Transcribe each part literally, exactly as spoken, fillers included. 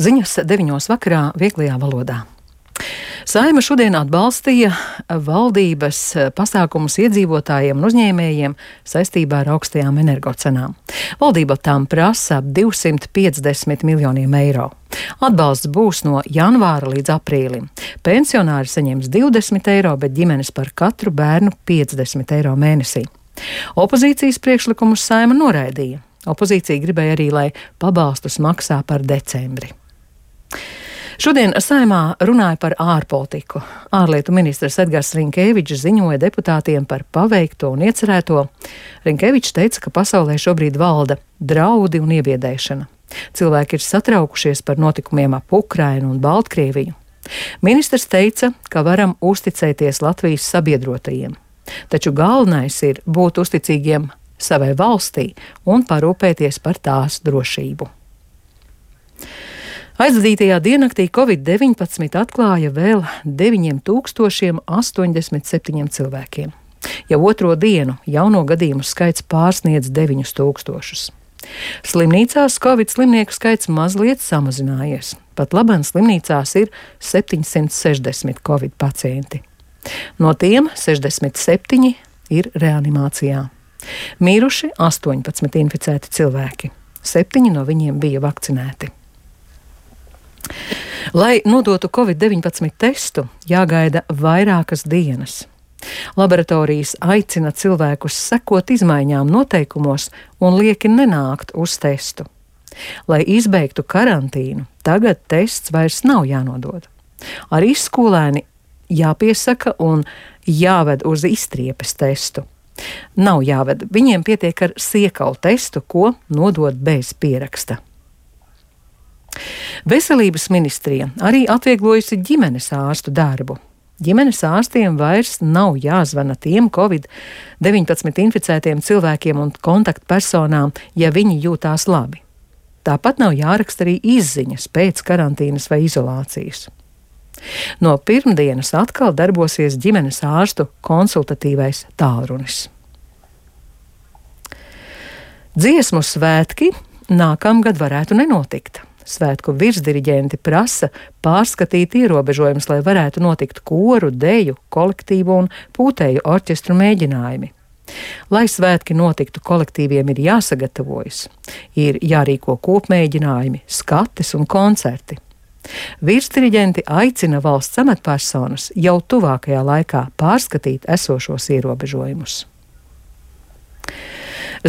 Ziņas deviņos vakarā vieglajā valodā. Saeima šodien atbalstīja valdības pasākumus iedzīvotājiem un uzņēmējiem saistībā ar augstajām energocenām. Valdība tām prasa ap divsimt piecdesmit miljoniem eiro. Atbalsts būs no janvāra līdz aprīlim. Pensionāri saņems divdesmit eiro, bet ģimenes par katru bērnu piecdesmit eiro mēnesī. Opozīcijas priekšlikumus Saeima noraidīja. Opozīcija gribēja arī, lai pabalstus maksā par decembri. Šodien Saeimā runāja par ārpolitiku. Ārlietu ministrs Edgars Rinkēvičs ziņoja deputātiem par paveikto un iecerēto. Rinkēvičs teica, ka pasaulē šobrīd valda draudi un iebiedēšana. Cilvēki ir satraukušies par notikumiem ap Ukrainu un Baltkrieviju. Ministrs teica, ka varam uzticēties Latvijas sabiedrotajiem. Taču galvenais ir būt uzticīgiem savai valstī un parūpēties par tās drošību. Aizvadītajā diennaktī covid deviņpadsmit atklāja vēl deviņiem tūkstošiem astoņdesmit septiņiem cilvēkiem. Jau otro dienu jauno gadījumu skaits pārsniedz deviņus tūkstošus. Slimnīcās covid slimnieku skaits mazliet samazinājies. Pat labāk slimnīcās ir septiņsimt sešdesmit covid pacienti. No tiem sešdesmit septiņi ir reanimācijā. Miruši astoņpadsmit inficēti cilvēki. Septiņi no viņiem bija vakcinēti. Lai nodotu covid deviņpadsmit testu, jāgaida vairākas dienas. Laboratorijas aicina cilvēkus sekot izmaiņām noteikumos un lieki nenākt uz testu. Lai izbeigtu karantīnu, tagad tests vairs nav jānodod. Arī skolēni jāpiesaka un jāved uz izstriepes testu. Nav jāved, viņiem pietiek ar siekalu testu, ko nodod bez pieraksta. Veselības ministrija arī atvieglojusi ģimenes ārstu darbu. Ģimenes ārstiem vairs nav jāzvana tiem covid deviņpadsmit inficētiem cilvēkiem un kontaktpersonām, ja viņi jūtās labi. Tāpat nav jāraksta arī izziņas pēc karantīnas vai izolācijas. No pirmdienas atkal darbosies ģimenes ārstu konsultatīvais tālrunis. Dziesmu svētki nākamgad varētu nenotikt. Svētku virsdiriģenti prasa pārskatīt ierobežojumus, lai varētu notikt koru, deju, kolektīvu un pūtēju orķestru mēģinājumi. Lai svētki notiktu, kolektīviem ir jāsagatavojas, ir jārīko kopmēģinājumi, skates un koncerti. Virsdiriģenti aicina valsts amatpersonas jau tuvākajā laikā pārskatīt esošos ierobežojumus.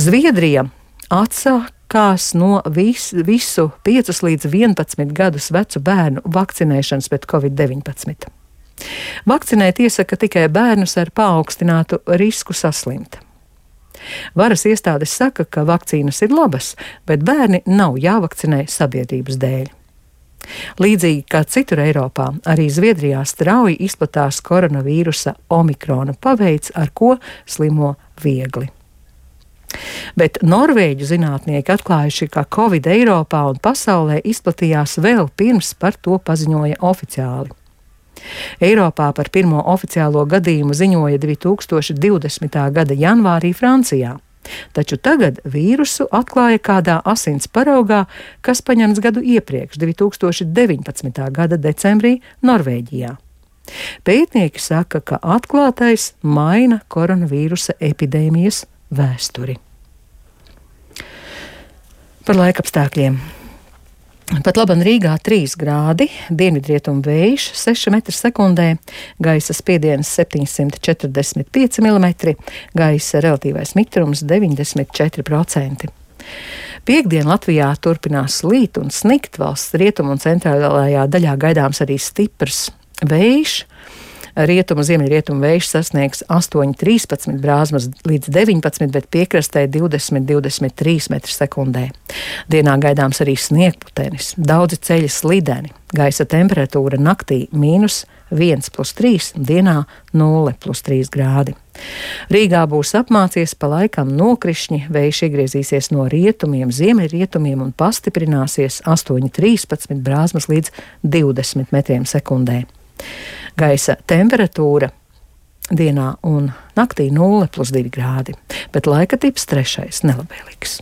Zviedrija atsāk Kās no vis, visu piecus līdz vienpadsmit gadus vecu bērnu vakcinēšanas pret covid deviņpadsmit. Vakcinēt iesaka tikai bērnus ar paaugstinātu risku saslimt. Varas iestādes saka, ka vakcīnas ir labas, bet bērni nav jāvakcinē sabiedrības dēļ. Līdzīgi kā citur Eiropā, arī Zviedrijā strauji izplatās koronavīrusa omikrona paveids, ar ko slimo viegli. Bet norvēģu zinātnieki atklājuši, ka covid Eiropā un pasaulē izplatījās vēl pirms par to paziņoja oficiāli. Eiropā par pirmo oficiālo gadījumu ziņoja divi tūkstoši divdesmitā gada janvārī Francijā, taču tagad vīrusu atklāja kādā asins paraugā, kas paņemts gadu iepriekš, divi tūkstoši deviņpadsmitā gada decembrī Norvēģijā. Pētnieki saka, ka atklātais maina koronavīrusa epidēmijas vēsturi. Par laikapstākļiem. Pat labam Rīgā trīs grādi, dienvidrietumu vējš seši metri sekundē, gaisa spiediens septiņsimt četrdesmit pieci milimetri, gaisa relatīvais mitrums deviņdesmit četri procenti. Piektdien Latvijā turpinās līt un snikt, valsts rietumu un centrālajā daļā gaidāms arī stiprs vējš. Rietumu, ziemeļrietumu vējš sasniegs astoņi trīspadsmit brāzmas līdz deviņpadsmit, bet piekrastē divdesmit divdesmit trīs metri sekundē. Dienā gaidāms arī sniegputenis, daudzi ceļi slideni, gaisa temperatūra naktī mīnus viens plus trīs, dienā nulle plus trīs grādi. Rīgā būs apmācies pa laikam nokrišņi, vējš iegriezīsies no rietumiem, ziemeļrietumiem un pastiprināsies astoņi trīspadsmit brāzmas līdz divdesmit metriem sekundē. Gaisa temperatūra dienā un naktī nulle plus divi grādi, bet laika tips trešais nelabvēlīgs.